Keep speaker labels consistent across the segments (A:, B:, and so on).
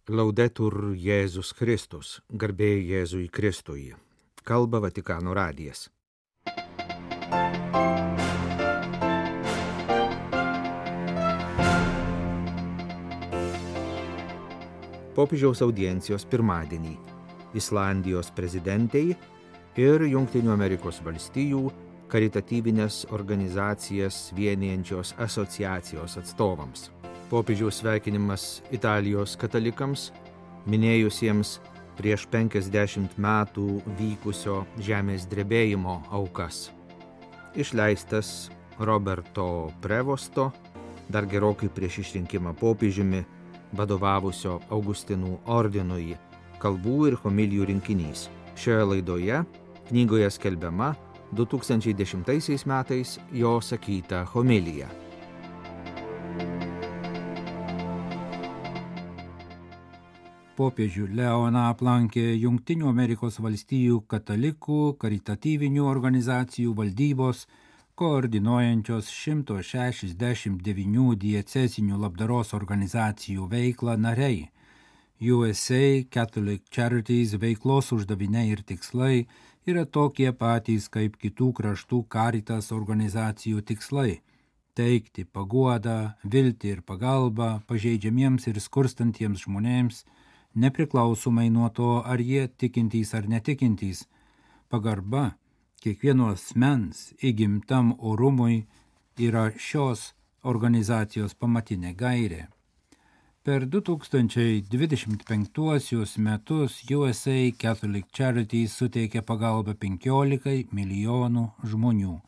A: Laudetur Jėzus Kristus, garbė Jėzui Kristui. Kalba Vatikano radijas. Popiežiaus audiencijos pirmadienį Islandijos prezidentei ir Jungtinių Amerikos valstijų karitatyvinės organizacijas vienijančios asociacijos atstovams. Popiežiaus sveikinimas Italijos katalikams, minėjusiems prieš 50 metų vykusio žemės drebėjimo aukas. Išleistas Roberto Prevosto, dar gerokai prieš išrinkimą popiežiumi, vadovavusio Augustinų ordinui, kalbų ir homilijų rinkinys. Šioje laidoje knygoje skelbiama 2010 metais jo sakyta homilija.
B: Popiežių Leoną aplankė Jungtinių Amerikos valstijų katalikų karitatyvinių organizacijų valdybos, koordinuojančios 169 diecezinių labdaros organizacijų veiklą nariai. USA Catholic Charities veiklos uždaviniai ir tikslai yra tokie patys kaip kitų kraštų Caritas organizacijų tikslai – teikti paguodą, viltį ir pagalbą pažeidžiamiems ir skurstantiems žmonėms, nepriklausomai nuo to, ar jie tikintys ar netikintys. Pagarba kiekvieno asmens įgimtam orumui yra šios organizacijos pamatinė gairė. Per 2025 metus USA Catholic Charities suteikė pagalbą 15 milijonų žmonių.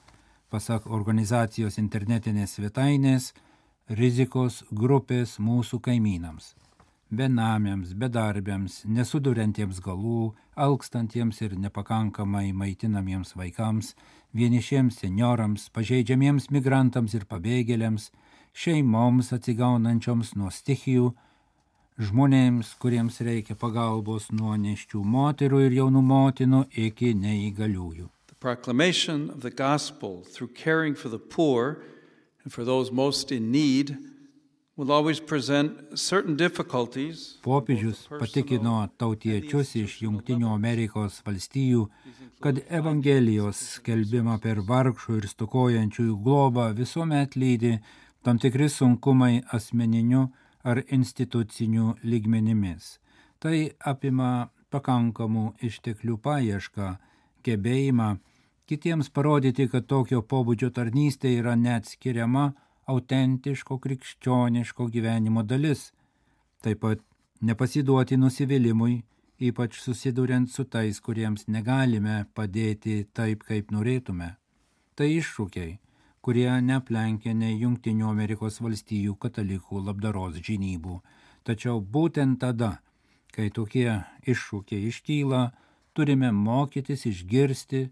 B: Pasak organizacijos internetinės svetainės, rizikos grupės mūsų kaimynams. Benamiams, bedarbiams, nesuduriantiems galų, alkstantiems ir nepakankamai maitinamiems vaikams, vienišiems seniorams, pažeidžiamiems migrantams ir pabėgėliams, šeimoms atsigaunančioms nuo stichijų, žmonėms, kuriems reikia pagalbos nuo nėščių moterų ir jaunų motinų iki neįgaliųjų.
C: The proclamation of the gospel through caring for the poor and for those most in need will always present certain difficulties.
B: Popiežius patikino tautiečius iš Jungtinių Amerikos valstijų, kad Evangelijos skelbimą per vargšų ir stokojančiųjų globą visuomet lydi tam tikri sunkumai asmeniniu ar instituciniu lygmenimis. Tai apima pakankamų išteklių paiešką, gebėjimą kitiems parodyti, kad tokio pobūdžio tarnystė yra neatskiriama autentiško krikščioniško gyvenimo dalis. Taip pat nepasiduoti nusivylimui, ypač susiduriant su tais, kuriems negalime padėti taip, kaip norėtume. Tai iššūkiai, kurie neaplenkia nei Jungtinių Amerikos valstijų katalikų labdaros žinybų. Tačiau būtent tada, kai tokie iššūkiai iškyla, turime mokytis išgirsti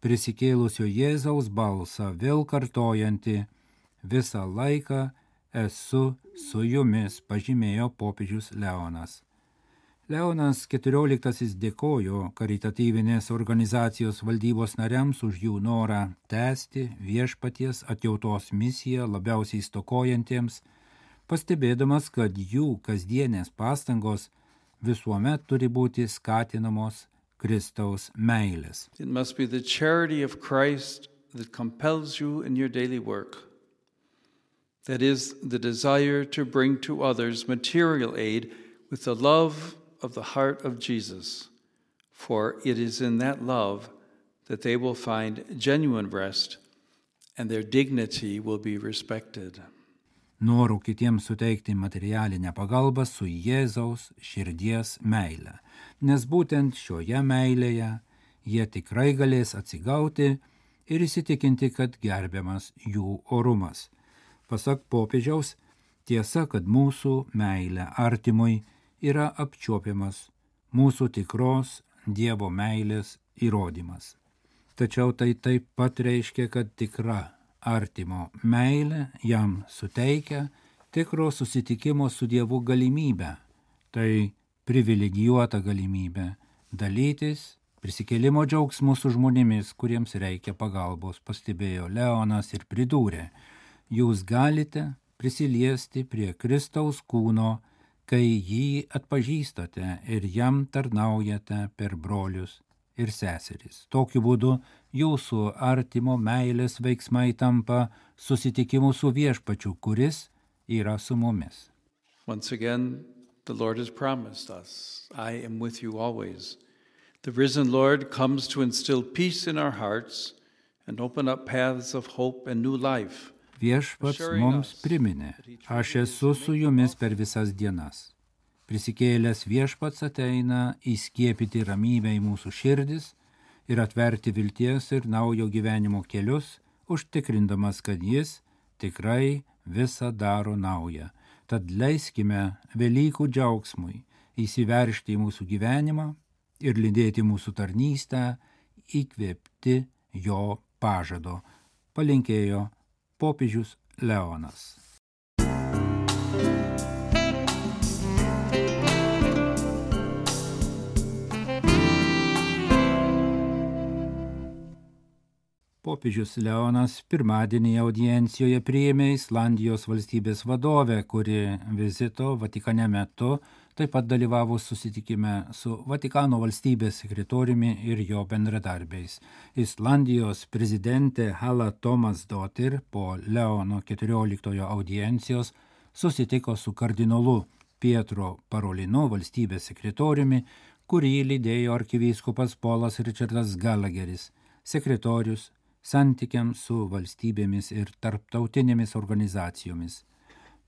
B: prisikėlusio Jėzaus balsą, vėl kartojantį: visą laiką esu su jumis, pažymėjo popiežius Leonas. Leonas XIV dėkojo karitatyvinės organizacijos valdybos nariams už jų norą tęsti viešpaties atjautos misiją labiausiai stokojantiems, pastebėdamas, kad jų kasdienės pastangos visuomet turi būti skatinamos Kristaus meilės.
C: It must be the charity of Christ that compels you in your daily work. That is, the desire to bring to others material aid with the love of the heart of Jesus, for it is in that love that they will find genuine rest and their dignity will be respected.
B: Noru kitiems suteikti materialinę pagalbą su Jėzaus širdies meile, nes būtent šioje meilėje jie tikrai galės atsigauti ir įsitikinti, kad gerbiamas jų orumas. Pasak popiežiaus, tiesa, kad mūsų meilė artimui yra apčiuopiamas mūsų tikros Dievo meilės įrodymas. Tačiau tai taip pat reiškia, kad tikra artimo meilė jam suteikia tikro susitikimo su Dievu galimybę. Tai privilegijuota galimybė dalytis prisikėlimo džiaugsmu su žmonėmis, kuriems reikia pagalbos, pastebėjo Leonas ir pridūrė: jūs galite prisiliesti prie Kristaus kūno kai jį atpažįstate ir jam tarnaujate per brolius ir seseris. Tokiu būdu jūsų artimo meilės veiksmai tampa susitikimu su viešpačiu, kuris yra su mumis.
C: Once again, the Lord has promised us, I am with you always. The risen Lord comes to instill peace in our hearts and open up paths of hope and new life.
B: Viešpats mums priminė, aš esu su jumis per visas dienas. Prisikėlęs viešpats ateina įskiepyti ramybę į mūsų širdis ir atverti vilties ir naujo gyvenimo kelius, užtikrindamas, kad jis tikrai visą daro naują. Tad leiskime Velykų džiaugsmui įsiveržti į mūsų gyvenimą ir lydėti mūsų tarnystę, įkvėpti jo pažado, palinkėjo popiežius Leonas. Popiežius Leonas pirmadienį audiencijoje priėmė Islandijos valstybės vadovę, kuri vizito Vatikane metu taip pat dalyvavo susitikime su Vatikano valstybės sekretoriumi ir jo bendradarbiais. Islandijos prezidentė Hala Tómasdóttir po Leono 14 audiencijos susitiko su kardinolu Pietro Parolinu, valstybės sekretoriumi, kurį lydėjo arkivyskupas Polas Richardas Gallagheris, sekretorius santykiams su valstybėmis ir tarptautinėmis organizacijomis.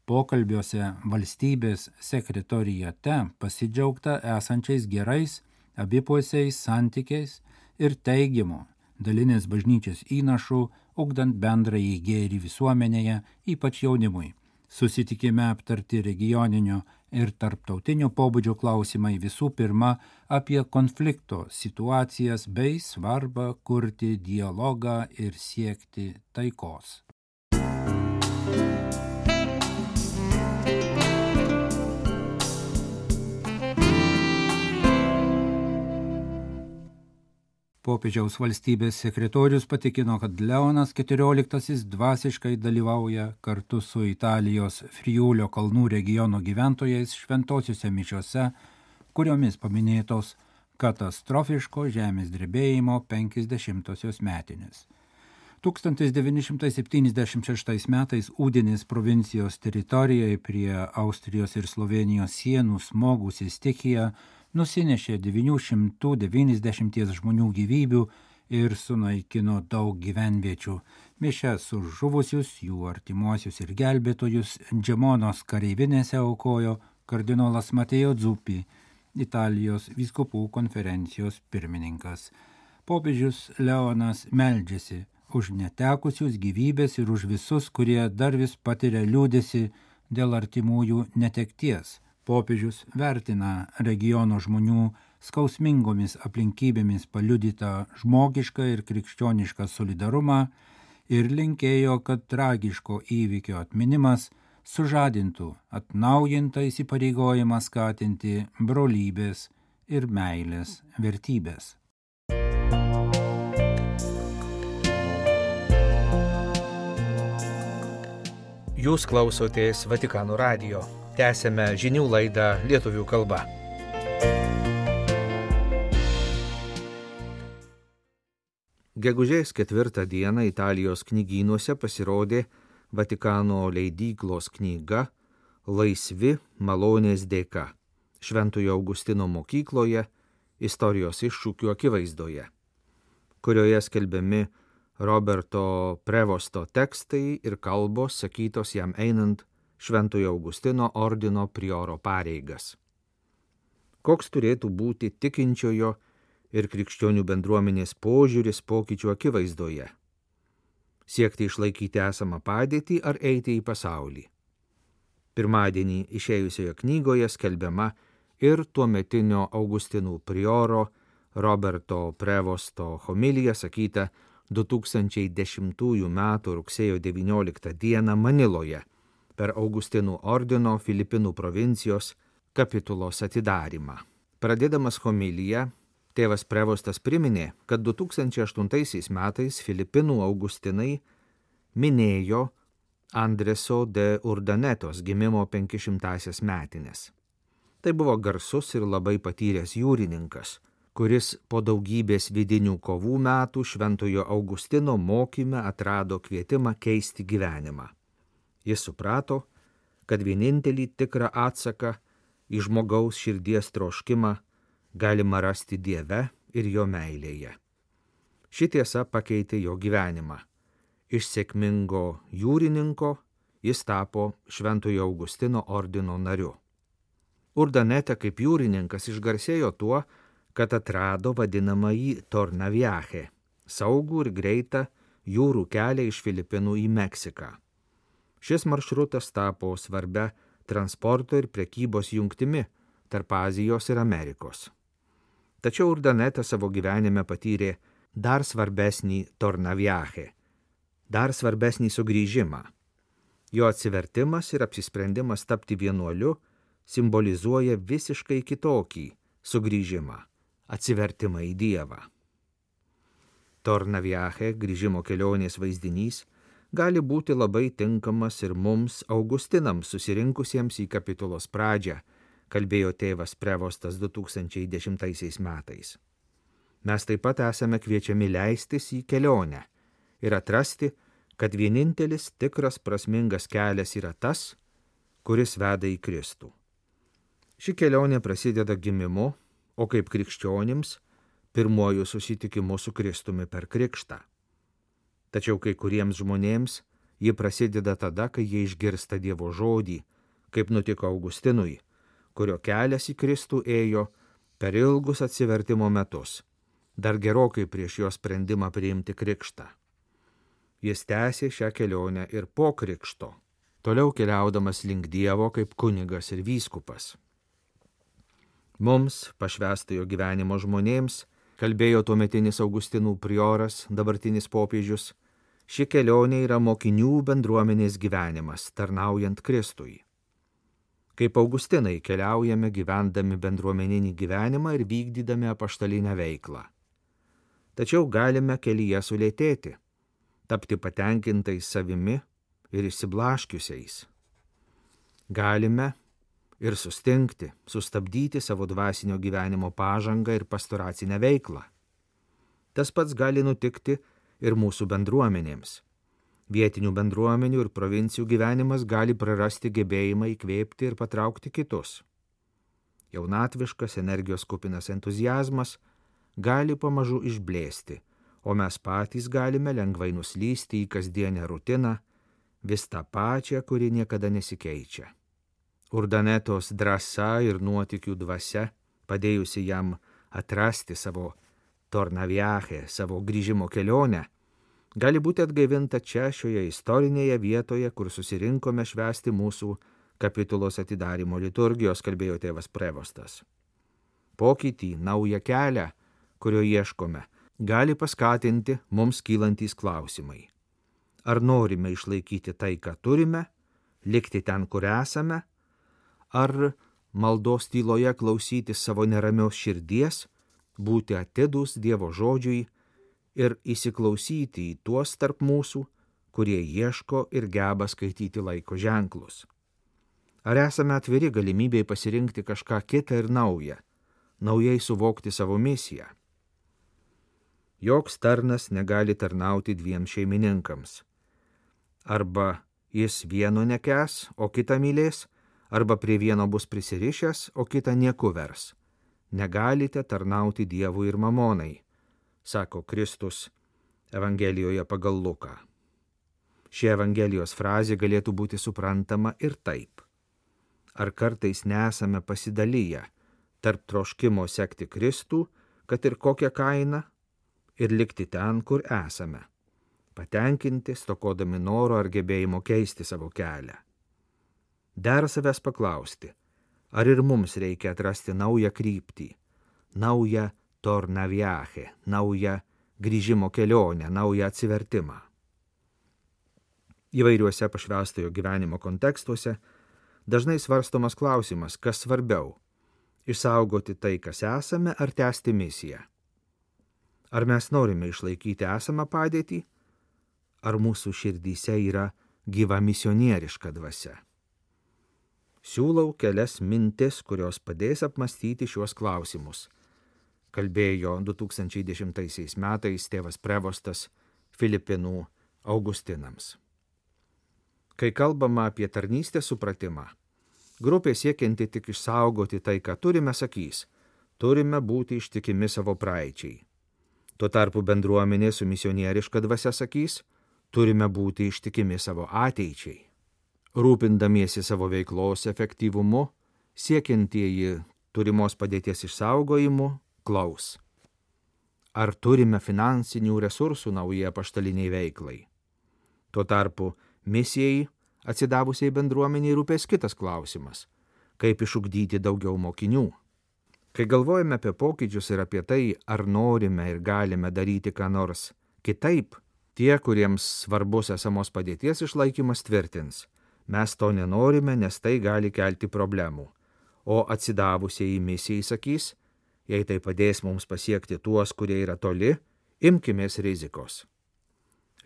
B: Pokalbiuose valstybės sekretorijate pasidžiaugta esančiais gerais abipusiais santykiais ir teigiamu dalinės bažnyčios įnašų, ugdant bendrąjį gėrį visuomenėje, ypač jaunimui. Susitikime aptarti regioninio ir tarptautinio pobūdžio klausimai, visų pirma apie konflikto situacijas bei svarbą kurti dialogą ir siekti taikos. Popiežiaus valstybės sekretorius patikino, kad Leonas XIV dvasiškai dalyvauja kartu su Italijos Friulio kalnų regiono gyventojais šventosiuose mišiose, kuriomis paminėtos katastrofiško žemės drebėjimo 50-osios metinės. 1976 metais Udinės provincijos teritorijoje prie Austrijos ir Slovenijos sienų smogusi stichija nusinešė 990 žmonių gyvybių ir sunaikino daug gyvenviečių. Mišias už žuvusius, jų artimuosius ir gelbėtojus Džemonos kareivinėse aukojo kardinolas Mateo Zuppi, Italijos vyskupų konferencijos pirmininkas. Popiežius Leonas meldžiasi už netekusius gyvybės ir už visus, kurie dar vis patiria liūdesį dėl artimųjų netekties. Popiežius vertina regiono žmonių skausmingomis aplinkybėmis paliudytą žmogišką ir krikščionišką solidarumą ir linkėjo, kad tragiško įvykio atminimas sužadintų atnaujintą įsipareigojimą skatinti brolybės ir meilės vertybės.
A: Jūs klausotės Vatikano radijo. Tęsėme žinių laidą lietuvių kalba. Gegužės 4 dieną Italijos knygynuose pasirodė Vatikano leidyklos knyga Laisvi malonės dėka Šventojo Augustino mokykloje istorijos iššūkių akivaizdoje, kurioje skelbiami Roberto Prevosto tekstai ir kalbos sakytos jam einant Šventojo Augustino ordino prioro pareigas. Koks turėtų būti tikinčiojo ir krikščionių bendruomenės požiūris pokyčių akivaizdoje? Siekti išlaikyti esamą padėtį ar eiti į pasaulį? Pirmadienį išėjusioje knygoje skelbiama ir tuometinio Augustinų prioro Roberto Prevosto homilija sakyta 2010 m. rugsėjo 19 d. Maniloje per Augustinų ordino Filipinų provincijos kapitulos atidarymą. Pradėdamas homiliją, tėvas Prevostas priminė, kad 2008 metais Filipinų Augustinai minėjo Andreso de Urdanetos gimimo 500-asias metinės. Tai buvo garsus ir labai patyręs jūrininkas, kuris po daugybės vidinių kovų metų Šventojo Augustino mokyme atrado kvietimą keisti gyvenimą. Jis suprato, kad vienintelį tikrą atsaką į žmogaus širdies troškimą galima rasti Dieve ir jo meilėje. Ši tiesa pakeitė jo gyvenimą. Iš sėkmingo jūrininko jis tapo Šventojo Augustino ordino nariu. Urdanete kaip jūrininkas išgarsėjo tuo, kad atrado vadinamąjį Tornaviache, saugų ir greitą jūrų kelią iš Filipinų į Meksiką. Šis maršrutas tapo svarbia transporto ir prekybos jungtimi tarp Azijos ir Amerikos. Tačiau Urdanete savo gyvenime patyrė dar svarbesnį Tornaviache, dar svarbesnį sugrįžimą. Jo atsivertimas ir apsisprendimas tapti vienuoliu simbolizuoja visiškai kitokį sugrįžimą, atsivertimą į Dievą. Tornaviache, grįžimo kelionės vaizdinys, gali būti labai tinkamas ir mums, augustinams susirinkusiems į kapitulos pradžią, kalbėjo tėvas Prevostas 2010 metais. Mes taip pat esame kviečiami leistis į kelionę ir atrasti, kad vienintelis tikras prasmingas kelias yra tas, kuris veda į Kristų. Ši kelionė prasideda gimimu, o kaip krikščionims pirmuoju susitikimu su Kristumi per krikštą. Tačiau kai kuriems žmonėms ji prasideda tada, kai jie išgirsta Dievo žodį, kaip nutiko Augustinui, kurio kelias į Kristų ėjo per ilgus atsivertimo metus, dar gerokai prieš jo sprendimą priimti krikštą. Jis tęsė šią kelionę ir po krikšto, toliau keliaudamas link Dievo kaip kunigas ir vyskupas. Mums, pašvęstojo gyvenimo žmonėms, kalbėjo tuometinis Augustinų prioras, dabartinis popiežius, ši kelionė yra mokinių bendruomenės gyvenimas, tarnaujant Kristui. Kaip Augustinai keliaujame gyvendami bendruomeninį gyvenimą ir vykdydami apaštalinę veiklą. Tačiau galime kelyje sulėtėti, tapti patenkintais savimi ir išsiblaškiusiais. Galime ir sustingti, sustabdyti savo dvasinio gyvenimo pažangą ir pastoracinę veiklą. Tas pats gali nutikti ir mūsų bendruomenėms. Vietinių bendruomenių ir provincijų gyvenimas gali prarasti gebėjimą įkvėpti ir patraukti kitus. Jaunatviškas, energijos kupinas entuziazmas gali pamažu išblėsti, o mes patys galime lengvai nuslysti į kasdienę rutiną, vis tą pačią, kuri niekada nesikeičia. Urdanetos drąsa ir nuotykių dvasia, padėjusi jam atrasti savo Tornaviache, savo grįžimo kelionę, gali būti atgaivinta čia šioje istorinėje vietoje, kur susirinkome švęsti mūsų kapitulos atidarymo liturgijos, kalbėjo tėvas Prevostas. Pokytį, naują kelią, kurio ieškome, gali paskatinti mums kylantys klausimai. Ar norime išlaikyti tai, ką turime, likti ten, kur esame, ar maldos tyloje klausyti savo neramios širdies, būti atidūs Dievo žodžiui ir įsiklausyti į tuos tarp mūsų, kurie ieško ir geba skaityti laiko ženklus. Ar esame atviri galimybei pasirinkti kažką kitą ir naują, naujai suvokti savo misiją? Joks tarnas negali tarnauti dviem šeimininkams. Arba jis vieno nekęs, o kitą mylės, arba prie vieno bus prisirišęs, o kitą nieku vers. Negalite tarnauti Dievui ir mamonai, sako Kristus Evangelijoje pagal Luką. Ši Evangelijos frazė galėtų būti suprantama ir taip. Ar kartais nesame pasidalyję tarp troškimo sekti Kristų, kad ir kokią kainą, ir likti ten, kur esame, patenkinti, stokodami noro ar gebėjimo keisti savo kelią. Der savęs paklausti, ar ir mums reikia atrasti naują kryptį, naują Tornaviache, naują grįžimo kelionę, naują atsivertimą. Įvairiuose pašvęstojo gyvenimo kontekstuose dažnai svarstomas klausimas, kas svarbiau – išsaugoti tai, kas esame, ar tęsti misiją. Ar mes norime išlaikyti esamą padėtį, ar mūsų širdyse yra gyva misionieriška dvasia. Siūlau kelias mintis, kurios padės apmastyti šiuos klausimus. Kalbėjo 2010 metais tėvas Prevostas Filipinų Augustinams. Kai kalbama apie tarnystės supratimą, grupė siekianti tik išsaugoti tai, ką turime, sakys, turime būti ištikimi savo praeičiai. Tuo tarpu bendruomenė su misionieriška dvasia sakys, turime būti ištikimi savo ateičiai. Rūpindamiesi savo veiklos efektyvumu, siekiantieji turimos padėties išsaugojimu, klaus. Ar turime finansinių resursų naujai apaštaliniai veiklai? Tuo tarpu misijai, atsidavusiai bendruomeniai, rūpės kitas klausimas – kaip išugdyti daugiau mokinių. Kai galvojame apie pokyčius ir apie tai, ar norime ir galime daryti ką nors kitaip, tie, kuriems svarbus esamos padėties išlaikymas, tvirtins – mes to nenorime, nes tai gali kelti problemų. O atsidavusiai misijai sakys, jei tai padės mums pasiekti tuos, kurie yra toli, imkimės rizikos.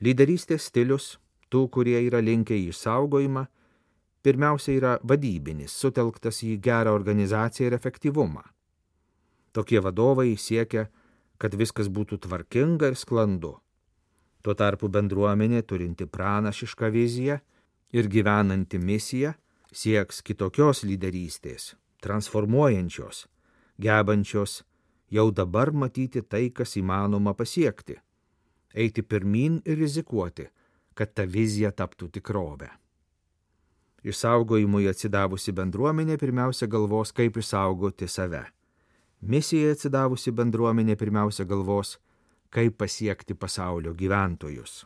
A: Lyderystės stilius, tų, kurie yra linkę į išsaugojimą, pirmiausia yra vadybinis, sutelktas į gerą organizaciją ir efektyvumą. Tokie vadovai siekia, kad viskas būtų tvarkinga ir sklandu. Tuo tarpu bendruomenė, turinti pranašišką viziją ir gyvenanti misiją, sieks kitokios lyderystės, transformuojančios, gebančios jau dabar matyti tai, kas įmanoma pasiekti, eiti pirmyn ir rizikuoti, kad ta vizija taptų tikrovę. Išsaugojimui atsidavusi bendruomenė pirmiausia galvos, kaip išsaugoti save. Misijai atsidavusi bendruomenė pirmiausia galvos, kaip pasiekti pasaulio gyventojus.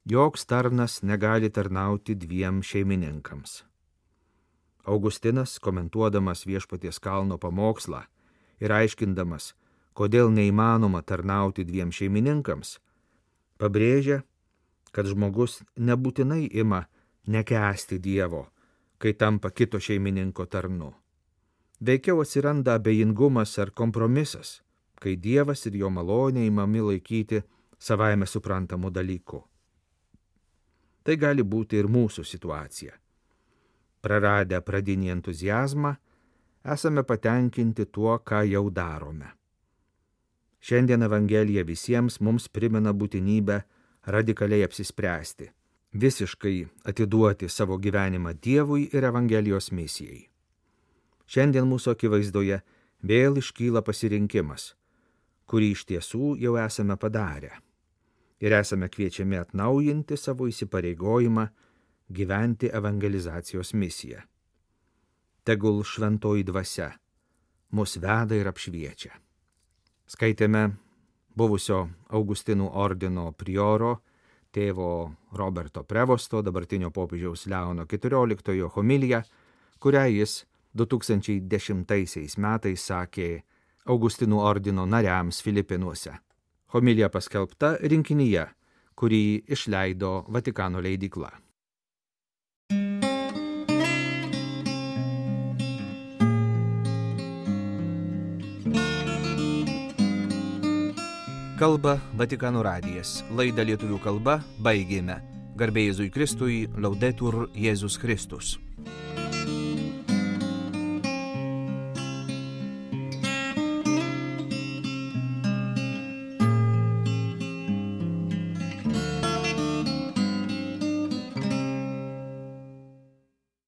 A: Joks tarnas negali tarnauti dviem šeimininkams. Augustinas, komentuodamas Viešpaties kalno pamokslą ir aiškindamas, kodėl neįmanoma tarnauti dviem šeimininkams, pabrėžia, kad žmogus nebūtinai ima nekęsti Dievo, kai tampa kito šeimininko tarnu. Veikiau atsiranda abejingumas ar kompromisas, kai Dievas ir jo malonė imami laikyti savaime suprantamų dalykų. Tai gali būti ir mūsų situacija. Praradę pradinį entuziazmą, esame patenkinti tuo, ką jau darome. Šiandien Evangelija visiems mums primena būtinybę radikaliai apsispręsti, visiškai atiduoti savo gyvenimą Dievui ir Evangelijos misijai. Šiandien mūsų akivaizdoje vėl iškyla pasirinkimas, kurį iš tiesų jau esame padarę. Ir esame kviečiami atnaujinti savo įsipareigojimą gyventi evangelizacijos misiją. Tegul šventoji dvasia mus veda ir apšviečia. Skaitėme buvusio Augustinų ordino prioro, tėvo Roberto Prevosto, dabartinio popiežiaus Leono XIV homiliją, kurią jis 2010 metais sakė Augustinų ordino nariams Filipinuose. Homilija paskelbta rinkinyje, kurį išleido Vatikano leidykla. Kalba Vatikano radijas. Laidą lietuvių kalba baigėme. Garbė Jėzui Kristui, Laudetur Jėzus Kristus.